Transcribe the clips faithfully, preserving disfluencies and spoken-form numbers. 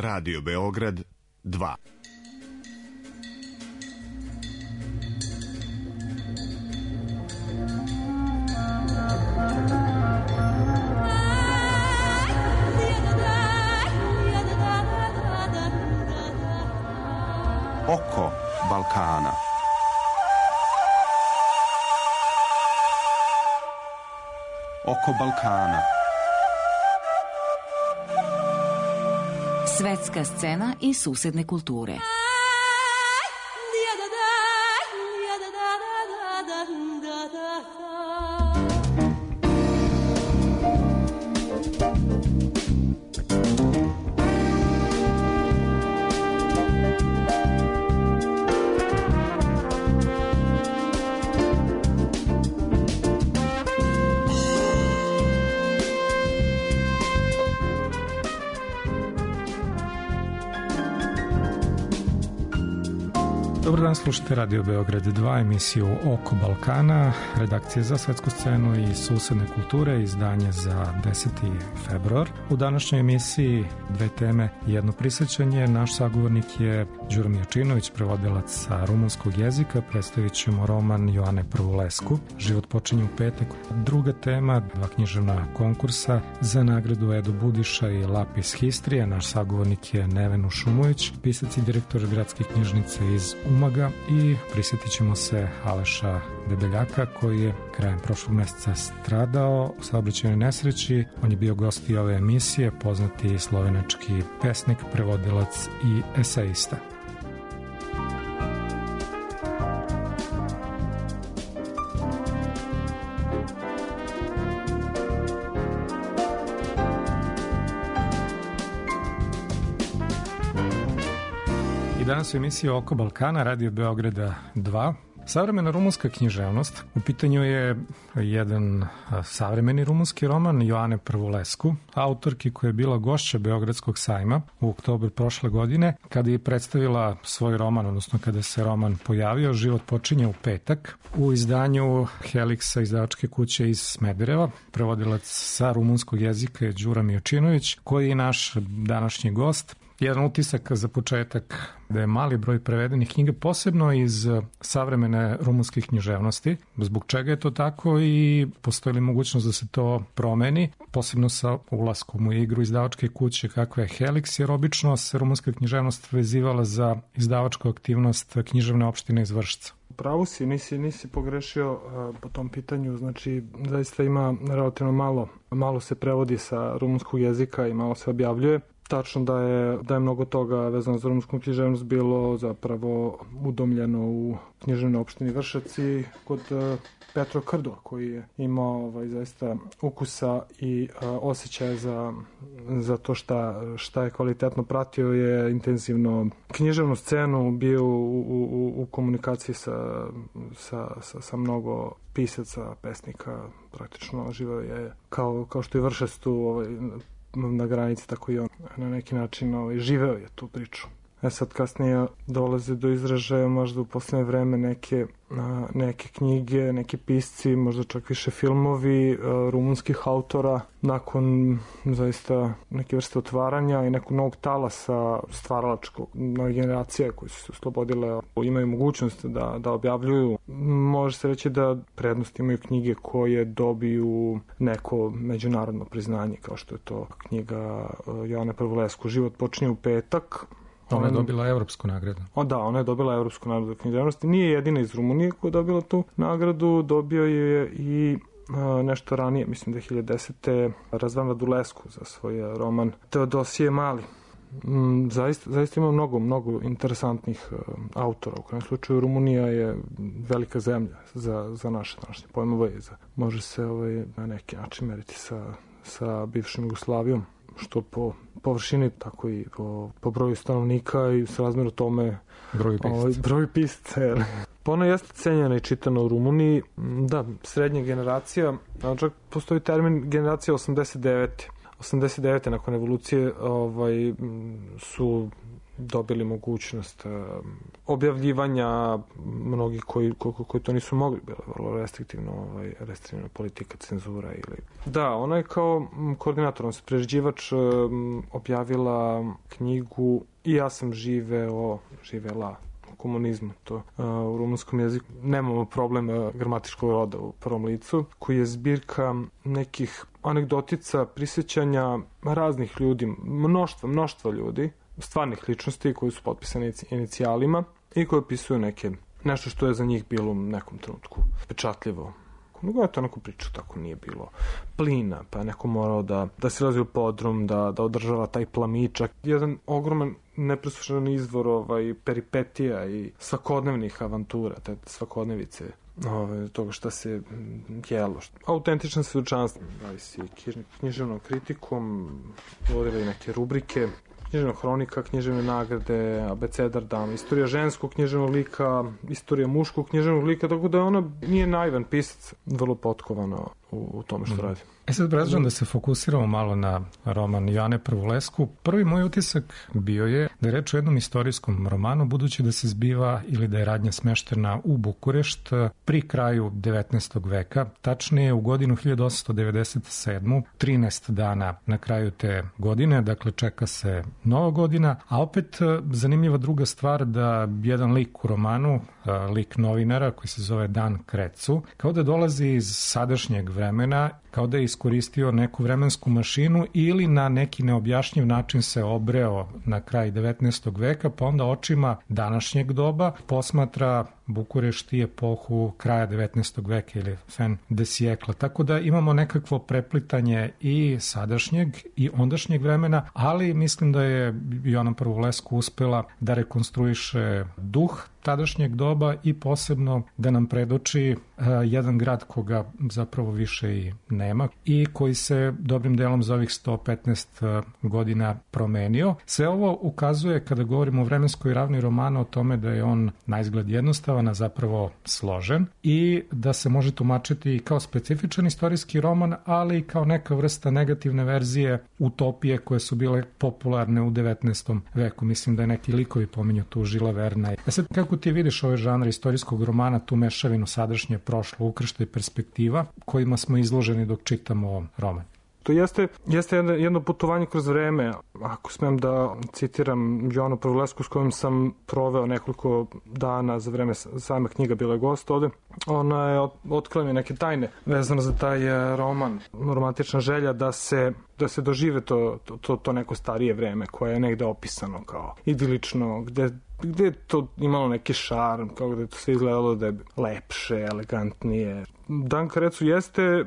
Radio Beograd dva. Oko Balkana. Oko Balkana. Svetska scena i susedne kulture. Dobar dan, slušate Radio Beograd dva, emisiju Oko Balkana, redakcije za svetsku scenu i susedne kulture, izdanje za deseti februar. U današnjoj emisiji dve teme i jedno prisjećanje. Naš sagovornik je Đuro Miječinović, prevodilac sa rumunskog jezika. Predstavit ćemo roman Joane Prvulescu, Život počinje u petak. Druga tema, dva književna konkursa za nagradu Edo Budiša i Lapis Histrija. Naš sagovornik je Neven Ušumović, pisac i direktor gradske knjižnice iz Umaga, i prisjetit ćemo se Aleša Debeljaka, koji je krajem prošlog meseca stradao u saobraćajnoj nesreći. On je bio gost i ove emisije, poznati slovenački pesnik, prevodilac i eseista. Danas u emisiji Oko Balkana, Radio Beograda dva. Savremena rumunska književnost. U pitanju je jedan savremeni rumunski roman Joane Prvulescu, autorki koja je bila gošća Beogradskog sajma u oktobru prošle godine, kada je predstavila svoj roman, odnosno kada se roman pojavio, Život počinje u petak, u izdanju Heliksa, izdavačke kuće iz Smedereva. Prevodilac sa rumunskog jezika je Đuro Miječinović, koji je naš današnji gost. Jedan utisak za početak da je mali broj prevedenih knjiga, posebno iz savremene rumunske književnosti. Zbog čega je to tako i postoji li mogućnost da se to promeni, posebno sa ulaskom u igru izdavačke kuće kakva je Helix, jer obično se rumunska književnost vezivala za izdavačku aktivnost književne opštine iz Vršca. Pravu si, nisi, nisi pogrešio uh, po tom pitanju, znači zaista ima relativno malo, malo se prevodi sa rumunskog jezika i malo se objavljuje. Tačno da je, da je mnogo toga vezano za rumunsku književnost bilo zapravo udomljeno u književnoj opštini Vršac i kod uh, Petro Krdo, koji je imao ovaj, zaista ukusa i uh, osjećaja za, za to šta, šta je kvalitetno pratio, je intenzivno književnu scenu, bio u, u, u komunikaciji sa, sa, sa, sa mnogo pisaca, pesnika, praktično živeo je kao, kao što je Vršac tu ovaj, na granici, tako i on na neki način ovaj, živeo je tu priču. E sad kasnije dolaze do izražaja možda u poslednje vreme neke, a, neke knjige, neki pisci, možda čak više filmovi a, rumunskih autora, nakon zaista neke vrste otvaranja i nekog novog talasa stvaralačkog, nove generacije koje su se oslobodile, imaju mogućnost da, da objavljuju. Može se reći da prednost imaju knjige koje dobiju neko međunarodno priznanje, kao što je to knjiga Joane Prvulescu, Život počinje u petak. Ona je dobila evropsku nagradu. O da, ona je dobila evropsku nagradu književnosti. Nije jedina iz Rumunije koja je dobila tu nagradu, dobio je i a, nešto ranije, mislim da je hiljadu desete. Razvan Radulescu za svoj roman Teodosije Mali. Mm, zaista, zaista ima mnogo, mnogo interesantnih uh, autora. U kojem slučaju Rumunija je velika zemlja za, za naše današnje pojmove i za, može se ovaj, na neki način meriti sa, sa bivšim Jugoslavijom, što po površini, tako i po, po broju stanovnika i s razmjeru tome broj pisaca. Broj pisaca, jel? Pa ona jeste cenjena i čitana u Rumuniji. Da, srednja generacija, čak postoji termin generacija osamdeset devete. osamdeset devete nakon evolucije ovaj, su dobili mogućnost objavljivanja, mnogi koji, koji, koji to nisu mogli, bila vrlo restriktivno, ovaj, restriktivna politika, cenzura ili... Da, ona je kao koordinator, on se priređivač objavila knjigu I ja sam živeo, živela u komunizmu, to uh, u rumunskom jeziku. Nemamo problem uh, gramatičkog roda u prvom licu, koji je zbirka nekih anegdotica, prisjećanja raznih ljudi, mnoštva, mnoštva ljudi, stvarnih ličnosti koji su potpisani inicijalima i koji opisuju neke, nešto što je za njih bilo u nekom trenutku pečatljivo. Nego je to neku priču, tako nije bilo plina, pa je neko morao da, da se razvije u podrum, da, da održava taj plamičak. Jedan ogroman nepreslušan izvor ovaj, peripetija i svakodnevnih avantura, te svakodnevice ovaj, toga šta se jelo. Autentičan svedočanstvo, bavi se književnom kritikom, vodila i neke rubrike, književna hronika, književne nagrade, abecedar dama, istorija ženskog književnog lika, istorija muškog književnog lika, tako da ona nije naivan pisac, vrlo potkovana u, u tome što mm. radi. E sad predlažem da se fokusiramo malo na roman Joane Prvulesku. Prvi moj utisak bio je da je reč o jednom istorijskom romanu, budući da se zbiva ili da je radnja smeštena u Bukurešt pri kraju devetnaestog veka, tačnije u godinu hiljadu osamsto devedeset sedmu, trinaest dana na kraju te godine, dakle čeka se nova godina, a opet zanimljiva druga stvar da jedan lik u romanu, lik novinara koji se zove Dan Krecu, kao da dolazi iz sadašnjeg vremena, kao da je iskoristio neku vremensku mašinu ili na neki neobjašnjiv način se obreo na kraj devetnaestog veka, pa onda očima današnjeg doba posmatra Bukurešt i epohu kraja devetnaestog veka ili fin de siècle. Tako da imamo nekakvo preplitanje i sadašnjeg i ondašnjeg vremena, ali mislim da je Joana Prvulesku uspela da rekonstruiše duh tadašnjeg doba i posebno da nam predoči uh, jedan grad koga zapravo više i nema i koji se dobrim delom za ovih sto petnaest uh, godina promenio. Sve ovo ukazuje, kada govorimo o vremenskoj ravni romana, o tome da je on na izgled jednostavan, a zapravo složen i da se može tumačiti i kao specifičan istorijski roman, ali i kao neka vrsta negativne verzije utopije koje su bile popularne u devetnaestom veku. Mislim da je neki likovi pominju tu Žila Verna. E sad, kako ti vidiš ovaj žanr istorijskog romana, tu mešavinu sadašnje, prošlo, ukršta i perspektiva, kojima smo izloženi dok čitamo roman? To jeste, jeste jedno, jedno putovanje kroz vreme. Ako smem da citiram Joanu Prvulesku s kojom sam proveo nekoliko dana za vreme same knjiga, bila je gost ovde, ona je otkrila mi neke tajne vezano za taj roman. Romantična želja da se, da se dožive to, to, to neko starije vreme koje je negde opisano kao idilično, gde gde je to imalo neki šarm, kao gde je to sve izgledalo da je lepše, elegantnije. Dan Krecu jeste,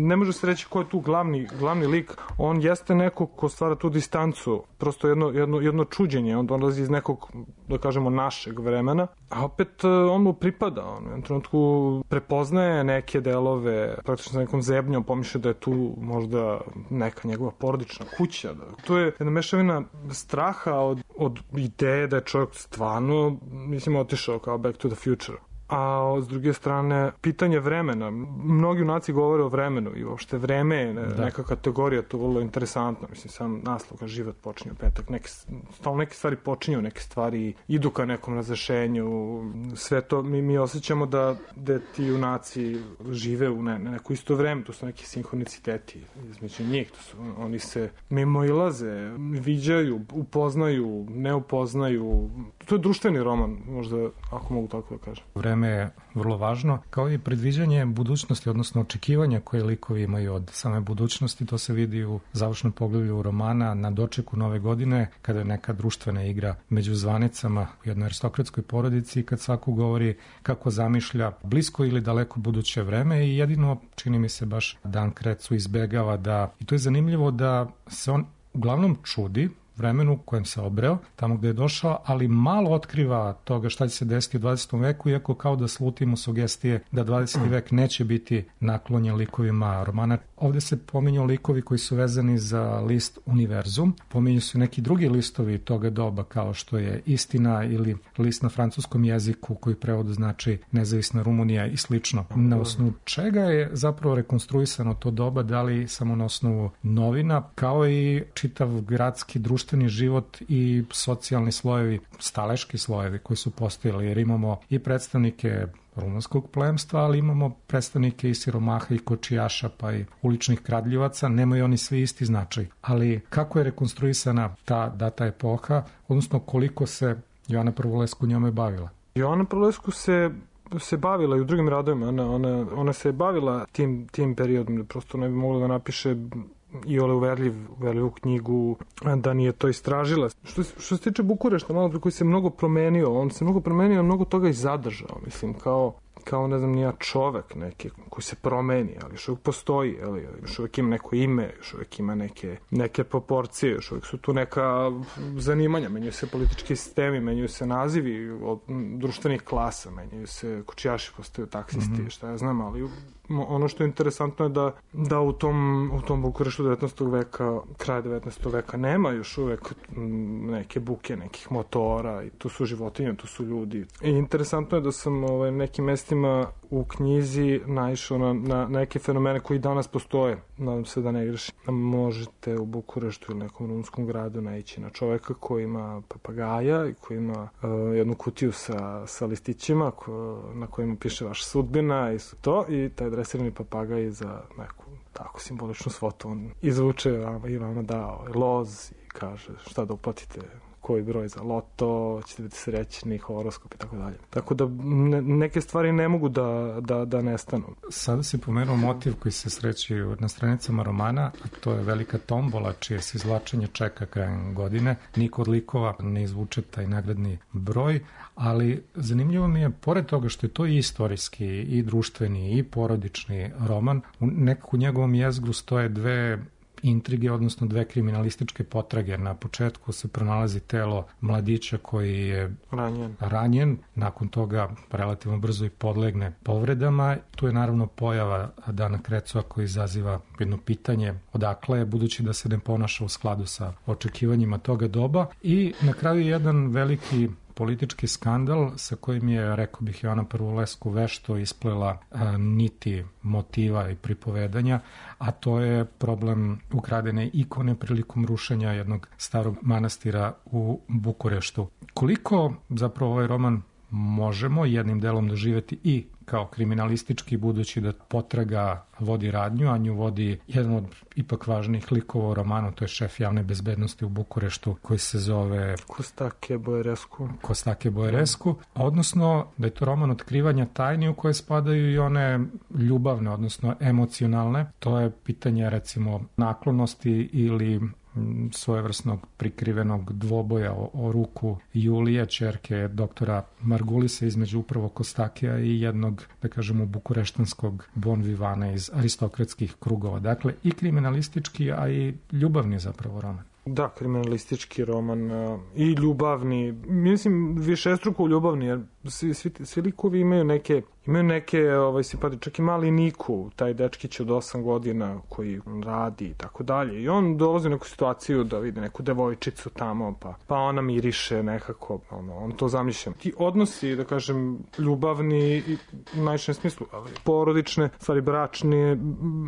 ne može se reći ko je tu glavni, glavni lik, on jeste neko ko stvara tu distancu, prosto jedno, jedno, jedno čuđenje, on dolazi iz nekog, da kažemo, našeg vremena, a opet on mu pripada, on u jednom trenutku prepoznaje neke delove, praktično sa nekom zebnjom, pomišlja da je tu možda neka njegova porodična kuća. Da. To je jedna mešavina straha od, od ideje da je čovjek stvarno, mislim, otišao kao Back to the Future. A s druge strane, pitanje vremena. Mnogi junaci govore o vremenu i uopšte vreme je neka kategorija, to je vrlo interesantno. Mislim, sam naslov kao život počinje u petak. Neke, stalno neke stvari počinju, neke stvari idu ka nekom razrešenju. Sve to mi, mi osjećamo da, da ti junaci žive u ne, neko isto vreme. To su neki sinhroniciteti između njih. To su, oni se mimoilaze, viđaju, upoznaju, ne upoznaju. To je društveni roman, možda, ako mogu tako da kažem. Vreme je vrlo važno, kao i predviđanje budućnosti, odnosno očekivanja koje likovi imaju od same budućnosti. To se vidi u završnom poglavlju romana na dočeku nove godine, kada je neka društvena igra među zvanicama u jednoj aristokratskoj porodici, kad svako govori kako zamišlja blisko ili daleko buduće vreme i jedino, čini mi se, baš Dan Krecu izbegava da, i to je zanimljivo, da se on uglavnom čudi vremenu kojem se obreo, tamo gde je došao, ali malo otkriva toga šta će se desiti u dvadesetom veku, iako kao da slutimo sugestije da dvadeseti vek neće biti naklonjen likovima romana. Ovde se pominju likovi koji su vezani za list Univerzum, pominju su neki drugi listovi toga doba, kao što je Istina ili list na francuskom jeziku koji prevodu znači Nezavisna Rumunija i slično. Na osnovu čega je zapravo rekonstruisano to doba, da li samo na osnovu novina, kao i čitav gradski društveni društveni život i socijalni slojevi, staleški slojevi koji su postojali, jer imamo i predstavnike rumunskog plemstva, ali imamo predstavnike i siromaha i kočijaša, pa i uličnih kradljivaca, nemaju oni svi isti značaj. Ali kako je rekonstruisana ta data epoha, odnosno koliko se Joana Prvulesku njome bavila? Joana Prvulesku se se bavila i u drugim radovima, ona, ona, ona se bavila tim, tim periodom, prosto ne bi mogla da napiše i ole uverljiv, uverljivu knjigu, da nije to istražila. Što, što se tiče Bukurešta, malo koji se mnogo promenio, on se mnogo promenio, mnogo toga i zadržao, mislim, kao kao, ne znam, nija čovek neki koji se promeni, ali još uvijek postoji, ali još uvijek ima neko ime, još uvijek ima neke, neke proporcije, još uvijek su tu neka zanimanja, menjuju se politički sistemi, menjuju se nazivi od društvenih klasa, menjuju se kočijaši, postaju taksisti, mm-hmm. šta ja znam, ali ono što je interesantno je da, da u tom, u tom Bukureštu devetnaestog veka, kraj devetnaestog veka nema još uvek neke buke, nekih motora i tu su životinje, tu su ljudi. I interesantno je da sam ovaj, nekim mestima u knjizi naišao na, na neke fenomene koji danas postoje. Nadam se da ne grešim. Možete u Bukureštu ili nekom rumunskom gradu naići na čoveka koji ima papagaja i koji ima uh, jednu kutiju sa, sa listićima ko, na kojima piše vaša sudbina i to, i taj dresirani papagaj za neku tako simboličnu svotu on izvuče vam, i vama dao loz i kaže šta da uplatite, koji broj za loto, ćete biti srećni, horoskop i tako dalje. Tako da ne, neke stvari ne mogu da, da, da nestanu. Sada si pomenuo motiv koji se sreće na stranicama romana, a to je velika tombola čije se izvlačenje čeka krajem godine. Niko od likova ne izvuče taj nagradni broj, ali zanimljivo mi je, pored toga što je to i istorijski, i društveni, i porodični roman, u nekako u njegovom jezgru stoje dve intrige, odnosno dve kriminalističke potrage. Na početku se pronalazi telo mladića koji je ranjen. ranjen, nakon toga relativno brzo i podlegne povredama. Tu je naravno pojava Dana Krecova koji izaziva jedno pitanje odakle je, budući da se ne ponaša u skladu sa očekivanjima toga doba. I na kraju jedan veliki politički skandal sa kojim je, rekao bih, Joana Prvulesku vešto isplela a, niti motiva i pripovedanja, a to je problem ukradene ikone prilikom rušenja jednog starog manastira u Bukureštu. Koliko zapravo ovaj roman možemo jednim delom doživeti i kao kriminalistički, budući da potraga vodi radnju, a nju vodi jedan od ipak važnijih likova u romanu, to je šef javne bezbednosti u Bukureštu koji se zove Kostake Bojeresku. Kostake Bojeresku, odnosno da je to roman otkrivanja tajni u koje spadaju i one ljubavne, odnosno emocionalne. To je pitanje recimo naklonosti ili svojevrsnog prikrivenog dvoboja o, o ruku Julije, ćerke doktora Margulisa, između upravo Kostakija i jednog, da kažemo, bukureštanskog bon vivana iz aristokratskih krugova. Dakle, i kriminalistički, a i ljubavni zapravo roman. Da, kriminalistički roman uh, i ljubavni, mislim višestruko ljubavni, jer svi, svi, svi likovi imaju neke, imaju neke ovaj, simpatije, čak i mali Niku, taj dečkić od osam godina koji radi i tako dalje, i on dolazi u neku situaciju da vidi neku devojčicu tamo, pa, pa ona miriše nekako, ono, on to zamišlja. Ti odnosi, da kažem, ljubavni i u najšem smislu, ali porodične, stvari bračne,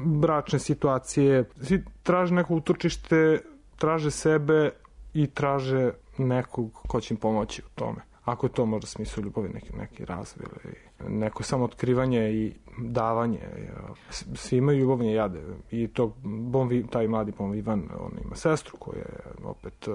bračne situacije, svi traže neko utočište, traže sebe i traže nekog ko će im pomoći u tome. Ako je to možda smislu ljubavi, neki, neki razvoj ili neko samootkrivanje i davanje. Svi imaju ljubavne jade. I to bon, taj mladi bon Ivan, on ima sestru koja je opet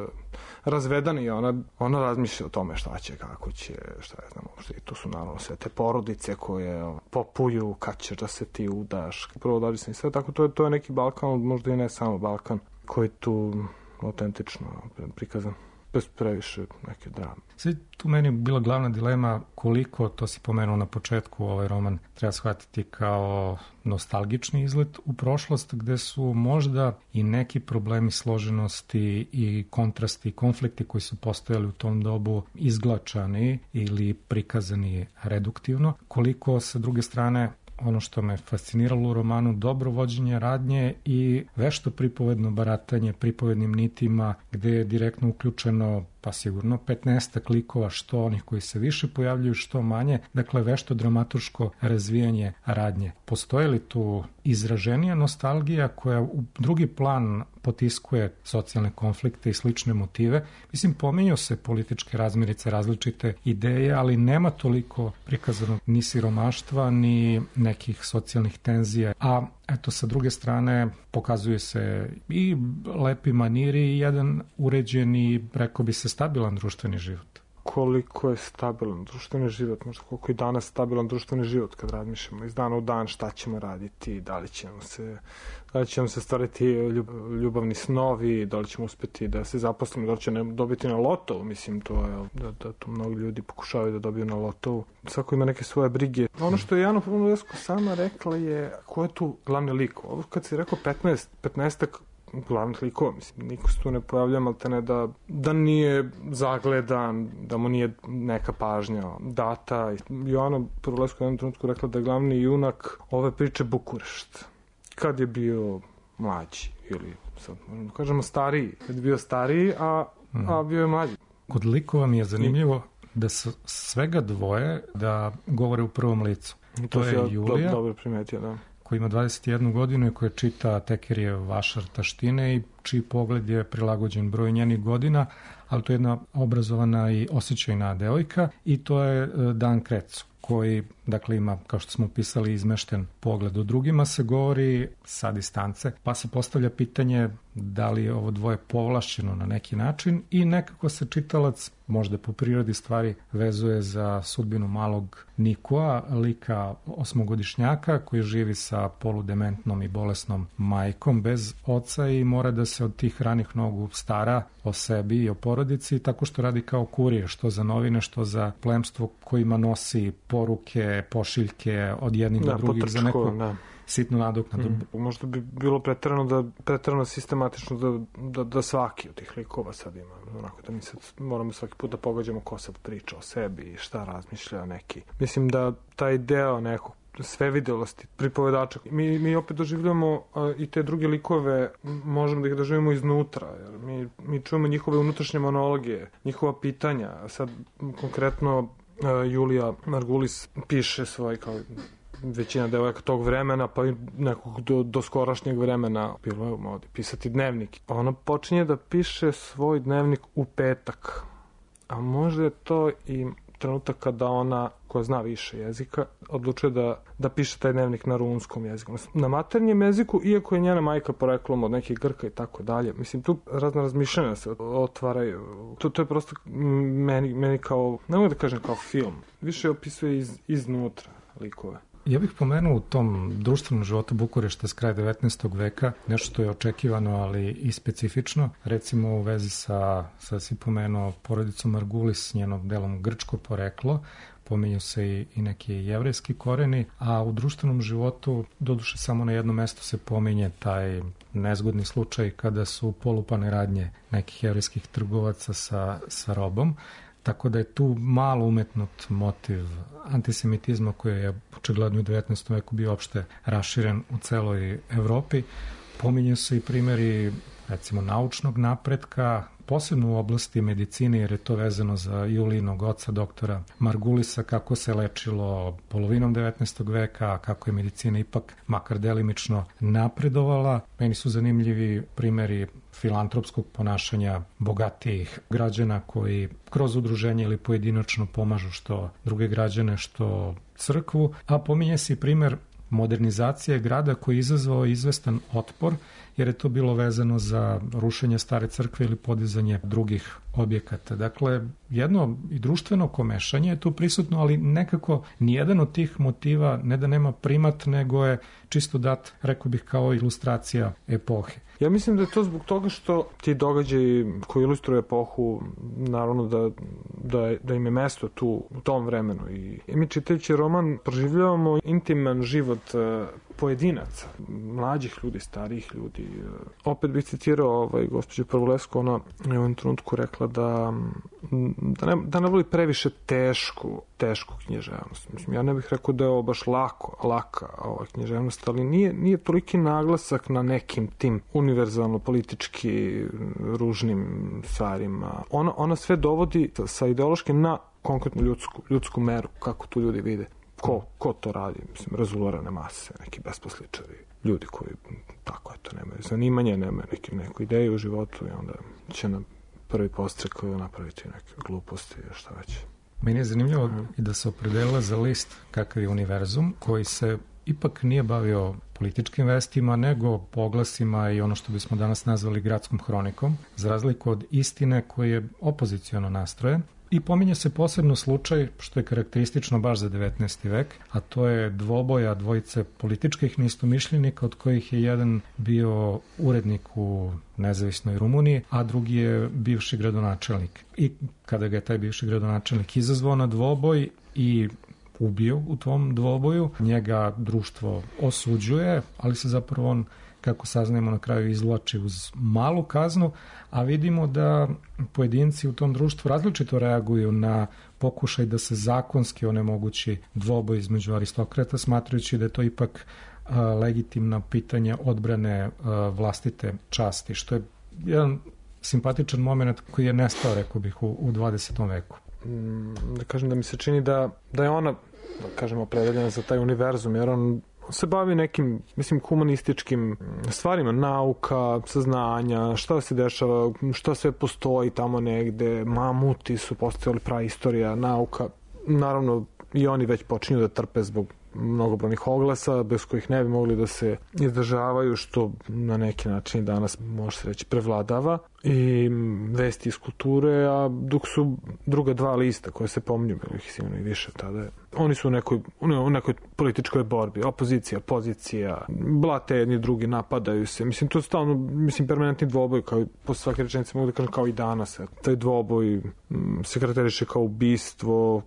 razvedana i ona, ona razmišlja o tome šta će, kako će, šta je znam, što i to su naravno sve te porodice koje popuju, kad ćeš da se ti udaš, prvo dađi se i sve, tako to je, to je neki Balkan, možda i ne samo Balkan, koji tu autentično prikazan, bez previše neke drame. Sve tu meni bila glavna dilema koliko, to si pomenuo na početku, ovaj roman treba shvatiti kao nostalgični izlet u prošlost, gde su možda i neki problemi složenosti i kontrasti i konflikti koji su postojali u tom dobu izglačani ili prikazani reduktivno, koliko sa druge strane ono što me fasciniralo u romanu, dobro vođenje radnje i vešto pripovedno baratanje pripovednim nitima, gde je direktno uključeno pa sigurno petnaestak likova, što onih koji se više pojavljuju, što manje, dakle vešto dramaturško razvijanje radnje. Postoje li tu izraženija nostalgija koja u drugi plan potiskuje socijalne konflikte i slične motive? Mislim, pominju se političke razmirice, različite ideje, ali nema toliko prikazanog ni siromaštva, ni nekih socijalnih tenzija, a eto, sa druge strane, pokazuje se i lepi maniri i jedan uređeni, rekao bi se, stabilan društveni život. Koliko je stabilan društveni život, možda koliko je danas stabilan društveni život kad razmišljamo iz dana u dan šta ćemo raditi, da li ćemo se, da li ćemo se stvariti ljubavni snovi, da li ćemo uspeti da se zaposlimo, da li će dobiti na lotovu, mislim, to je, da, da to mnogi ljudi pokušavaju da dobiju na lotovu. Svako ima neke svoje brige. Ono što je Jana Pavlovljesko sama rekla je, ko je tu glavni lik? Ovo kad si rekao petnaest, petnaestak glavnih likova, mislim, niko se tu ne pojavlja, ali te ne da, da nije zagledan, da mu nije neka pažnja data. Joana Pavlovljesko u jednom trenutku rekla da je glavni junak ove priče Bukurešt. Kad je bio mlađi, ili sad možemo da kažemo stariji, kad je bio stariji, a, a bio je mlađi. Kod likova mi je zanimljivo da su svega dvoje da govore u prvom licu. To, to je ja Julija, do, dobro primetio, da. koji ima dvadeset jednu godinu i koja čita Tekerijev Vašar taštine i čiji pogled je prilagođen broju njenih godina, ali to je jedna obrazovana i osjećajna devojka i to je Dan Krecu, koji, dakle, ima, kao što smo pisali, izmešten pogled. O drugima se govori sa distance, pa se postavlja pitanje da li je ovo dvoje povlašćeno na neki način i nekako se čitalac, možda po prirodi stvari, vezuje za sudbinu malog Nikoa, lika osmogodišnjaka koji živi sa poludementnom i bolesnom majkom bez oca i mora da se od tih ranih nogu stara o sebi i o porodici tako što radi kao kurir, što za novine, što za plemstvo kojima nosi poruke, pošiljke od jednih da, do drugih potrčko, za neku da. sitnu nadoknadu. Mm. Možda bi bilo preterano da preterano sistematično da, da, da svaki od tih likova sad ima. Onako da mi sad moramo svaki put da pogađamo ko sad priča o sebi i šta razmišlja neki. Mislim da taj deo nekog svevidelosti pripovedača. Mi, mi opet doživljamo a, i te druge likove, možemo da ih doživimo iznutra. Jer mi, mi čujemo njihove unutrašnje monologije, njihova pitanja. Sad konkretno a, Julija Margulis piše svoj kao većina devojaka tog vremena, pa i nekog do, do skorašnjeg vremena bilo je u modi pisati dnevnik. Ona počinje da piše svoj dnevnik u petak. A možda je to i trenutak kada ona, koja zna više jezika, odlučuje da, da piše taj dnevnik na rumunskom jeziku. Na maternjem jeziku, iako je njena majka poreklom od nekih Grka i tako dalje. Mislim, tu razne razmišljanja se otvaraju. To, to je prosto meni, meni kao, ne mogu da kažem kao film, više opisuje iz, iznutra likove. Ja bih pomenuo u tom društvenom životu Bukurešta s kraja devetnaestog veka nešto što je očekivano, ali i specifično. Recimo u vezi sa, sad si pomenuo porodicom Margulis, njenom delom grčko poreklo, pominju se i, i neki jevrejski koreni, a u društvenom životu, doduše samo na jednom mestu se pominje taj nezgodni slučaj kada su polupane radnje nekih jevrejskih trgovaca sa, sa robom. Tako da je tu malo umetnut motiv antisemitizma koji je očigledno u devetnaestom veku bio opšte raširen u celoj Evropi. Pominju se i primjeri, recimo, naučnog napretka, posebno u oblasti medicine, jer je to vezano za Julijinog oca, doktora Margulisa, kako se lečilo polovinom devetnaestog veka, kako je medicina ipak makar delimično napredovala. Meni su zanimljivi primjeri filantropskog ponašanja bogatijih građana koji kroz udruženje ili pojedinačno pomažu što druge građane, što crkvu, a pominje se i primjer modernizacije grada koji je izazvao izvestan otpor, jer je to bilo vezano za rušenje stare crkve ili podizanje drugih objekata. Dakle, jedno i društveno komešanje je tu prisutno, ali nekako nijedan od tih motiva ne da nema primat, nego je čisto dat, rekao bih, kao ilustracija epohe. Ja mislim da je to zbog toga što ti događaji koji ilustruju epohu, naravno da, da, da im je mesto tu u tom vremenu. I mi čitajući roman proživljavamo intiman život pojedinaca, mlađih ljudi, starijih ljudi. Opet bih citirao ovaj, gospođu Prvulesku, ona je u ovom trenutku rekla da, da, ne, da ne voli previše tešku, tešku književnost. Mislim, ja ne bih rekao da je ovo baš lako, laka ova književnost, ali nije, nije toliki naglasak na nekim tim univerzalno politički ružnim stvarima. Ona, ona sve dovodi sa ideološke na konkretnu ljudsku, ljudsku meru, kako tu ljudi vide. Ko, ko to radi? Mislim, razulorane mase, neki besposličari, ljudi koji, tako eto, nemaju zanimanje, nemaju neki, neku ideju u životu i onda će na prvi postrek napraviti neke gluposti i šta već. Meni je zanimljivo mm. i da se opredelila za list kakav je Univerzum, koji se ipak nije bavio političkim vestima, nego poglasima i ono što bismo danas nazvali gradskom hronikom, za razliku od Istine koji je opoziciono nastrojen. I pominje se posebno slučaj, što je karakteristično baš za devetnaesti vek, a to je dvoboja dvojice političkih neistomišljenika, od kojih je jedan bio urednik u nezavisnoj Rumuniji, a drugi je bivši gradonačelnik. I kada ga je taj bivši gradonačelnik izazvao na dvoboj i ubio u tom dvoboju, njega društvo osuđuje, ali se zapravo on, kako saznajemo, na kraju izvlači uz malu kaznu, a vidimo da pojedinci u tom društvu različito reaguju na pokušaj da se zakonski onemogući dvoboj između aristokrata, smatrajući da je to ipak uh, legitimna pitanja odbrane uh, vlastite časti, što je jedan simpatičan moment koji je nestao, rekao bih, u, u dvadesetom veku. Da kažem da mi se čini da, da je ona, da kažemo, opredeljena za taj univerzum, jer on se bavi nekim, mislim, humanističkim stvarima, nauka, saznanja, šta se dešava, šta sve postoji tamo negde, mamuti su postojali, praistorija, nauka. Naravno, i oni već počinju da trpe zbog mnogobrojnih oglasa, bez kojih ne bi mogli da se izdržavaju, što na neki način danas može se reći prevladava, i vesti iz kulture, a dok su druga dva lista koje se pominju, bilo ih sigurno i više tada, oni su u nekoj, u nekoj političkoj borbi, opozicija, pozicija, blate jedni drugi, napadaju se, mislim, to je stalno, mislim, permanentni dvoboj, kao po svake rečenice mogu da kažem kao i danas, taj dvoboj se karakteriše kao ubistvo,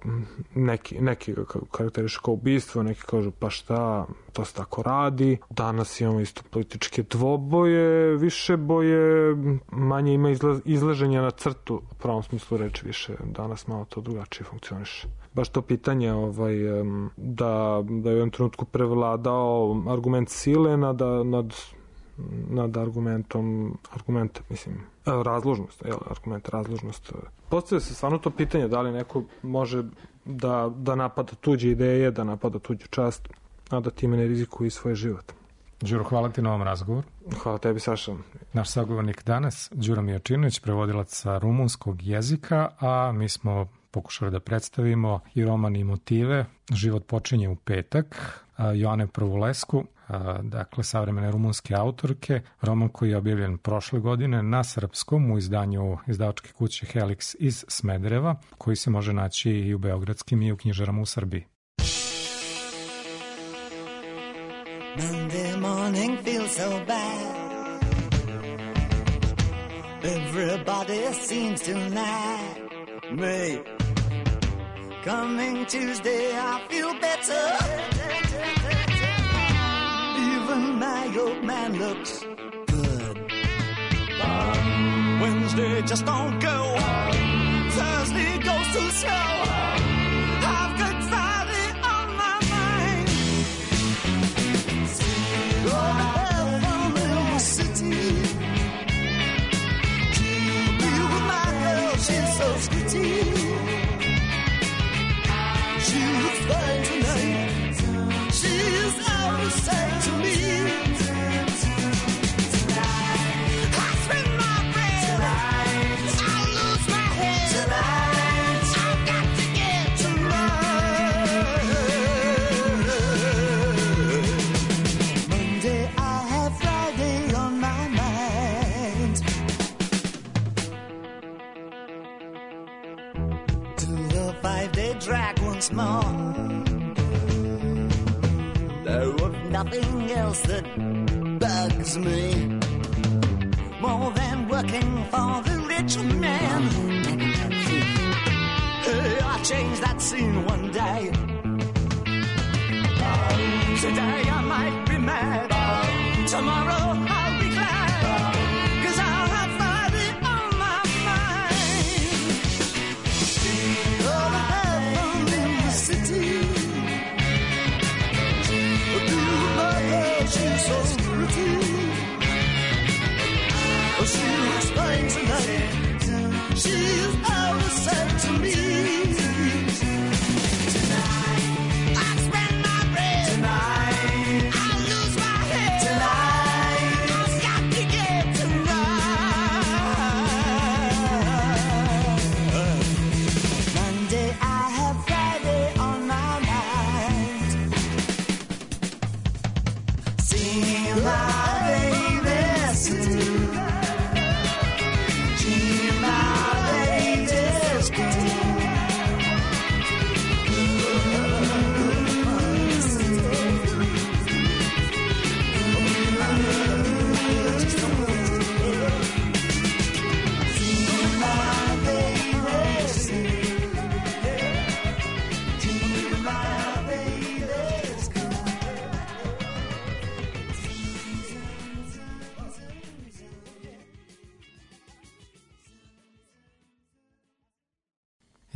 neki, neki ga karakteriše kao ubistvo, neki kažu pa šta, to se tako radi. Danas imamo isto političke dvoboje, više boje, manje ima izla, izlaženja na crtu, u pravom smislu reči, više danas malo to drugačije funkcioniše. Baš to pitanje ovaj, da, da je u jednom trenutku prevladao argument sile nad, nad, nad argumentom, argument, mislim, razložnost, jel, argument razložnost. Postavlja se stvarno to pitanje da li neko može da, da napada tuđe ideje, da napada tuđu čast, a da time ne rizikuje svoj život. Đuro, hvala ti na ovom razgovoru. Hvala tebi, Saša. Naš sagovornik danas, Đuro Mijačinović, prevodilac sa rumunskog jezika, a mi smo pokušali da predstavimo i roman i motive. Život počinje u petak, Joane Prvulesku, dakle savremene rumunske autorke, roman koji je objavljen prošle godine na srpskom u izdanju izdavačke kuće Helix iz Smedereva, koji se može naći i u beogradskim i u knjižarama u Srbiji. Monday morning feels so bad. Everybody seems to like me. Coming Tuesday I feel better. Even my old man looks good. Wednesday just don't go. Thursday goes too slow. I've got Friday on my mind. Oh, I'm in the city. Be with my girl, she's so sweetie. She looks fine tonight. She's out to say to me. I spend my bread. I lose my head. I've got to get to right. Monday I have Friday on my mind. To the five-day drag once more. There was nothing else that bugs me more than working for the rich man. Hey, I changed that scene one day. Today I might be mad.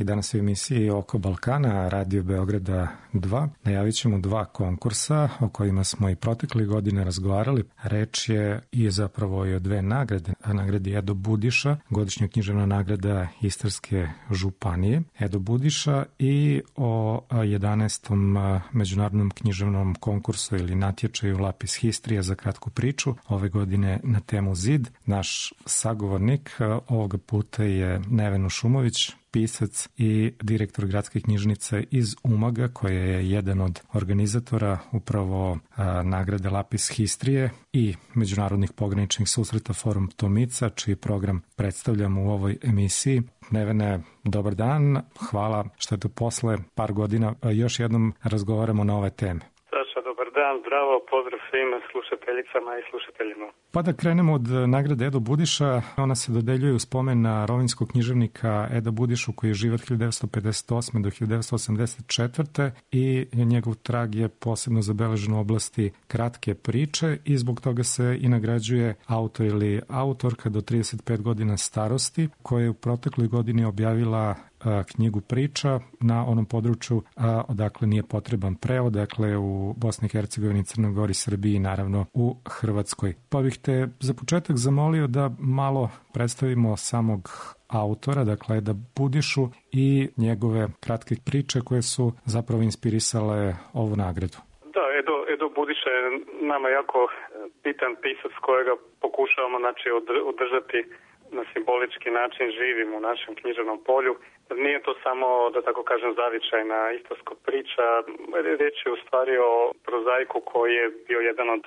I danas u emisiji Oko Balkana, Radio Beograda dva, najavit ćemo dva konkursa o kojima smo i protekle godine razgovarali. Reč je i zapravo i o dve nagrade. Nagradi Edo Budiša, godišnja književna nagrada Istarske županije Edo Budiša, i o jedanaestom međunarodnom književnom konkursu ili natječaju Lapis Historia za kratku priču, ove godine na temu Zid. Naš sagovornik ovoga puta je Neven Ušumović, pisac i direktor gradske knjižnice iz Umaga, koja je jedan od organizatora upravo a, nagrade Lapis Historie i međunarodnih pograničnih susreta Forum Tomica, čiji program predstavljamo u ovoj emisiji. Nevene, dobar dan, hvala što je to posle par godina još jednom razgovaramo na ove teme. Saša, dobar dan, zdravo, pozdrav svim slušateljicama i slušateljima. Pa da krenemo od nagrade Edo Budiša. Ona se dodeljuje u spomen na rovinjskog književnika Eda Budišu, koji je živ od hiljadu devetsto pedeset osme do hiljadu devetsto osamdeset četvrte i njegov trag je posebno zabeležen u oblasti kratke priče i zbog toga se i nagrađuje autor ili autorka do trideset pet godina starosti, koja je u protekloj godini objavila knjigu priča na onom području a, odakle nije potreban prevod, dakle u Bosni i Hercegovini, Crnoj Gori, Srbiji i naravno u Hrvatskoj. Pa bih te za početak zamolio da malo predstavimo samog autora, dakle Eda Budišu i njegove kratke priče koje su zapravo inspirisale ovu nagradu. Da, Edo, Edo Budiša je nama jako bitan pisac kojega pokušavamo znači, održati na simbolički način živim u našem književnom polju. Nije to samo, da tako kažem, zavičajna istarska priča. Riječ je u stvari o prozaiku koji je bio jedan od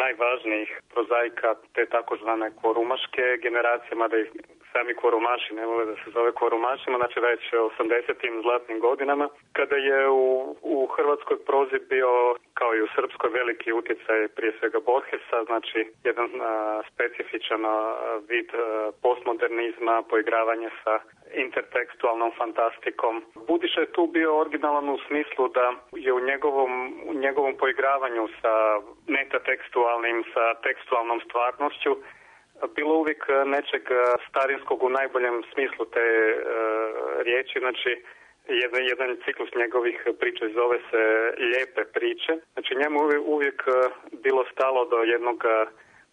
najvažnijih prozaika te takozvane kvorumaške generacije, mada i sami kvorumaši ne vole da se zove kvorumašima, znači već osamdesetim zlatnim godinama, kada je u, u hrvatskoj prozi bio, kao i u srpskoj, veliki utjecaj prije svega Borgesa, znači jedan a, specifičan a, vid a, postmodernizma, poigravanje sa intertekstualnom fantastikom. Budiša je tu bio originalan u smislu da je u njegovom, u njegovom poigravanju sa metatekstualnim, sa tekstualnom stvarnošću bilo uvijek nečeg starinskog u najboljem smislu te e, riječi, znači jedan, jedan ciklus njegovih priča zove se Lijepe priče. Znači njemu uvijek bilo stalo do jednog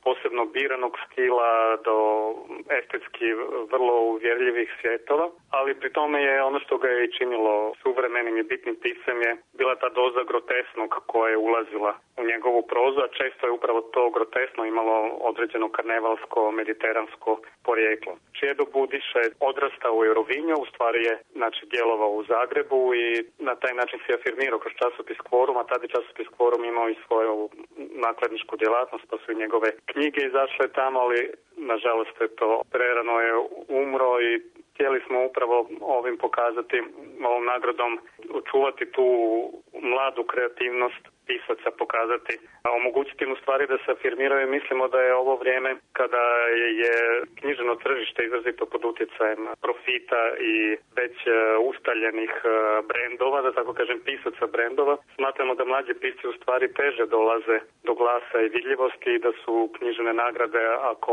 posebno biranog stila, do estetski vrlo uvjerljivih svjetova, ali pri tome je ono što ga je i činilo suvremenim i bitnim pisem je bila ta doza grotesnog koja je ulazila u njegovu prozu, a često je upravo to grotesno imalo određeno karnevalsko, mediteransko porijeklo. Edo Budiša je odrastao u Rovinju, u stvari je znači, djelovao u Zagrebu i na taj način se afirmirao kroz časopis Kvorum, a tada je časopis Kvorum imao i svoju nakladničku djelatnost, pa su i njegove knjige izašle tamo, ali nažalost je to prerano je umro i htjeli smo upravo ovim pokazati, ovom nagradom očuvati tu mladu kreativnost pisaca, pokazati, a omogućiti im u stvari da se afirmiraju. Mislimo da je ovo vrijeme kada je književno tržište izrazito pod utjecajem profita i već ustaljenih brendova, da tako kažem pisaca brendova. Smatramo da mlađi pisci u stvari teže dolaze do glasa i vidljivosti i da su književne nagrade, ako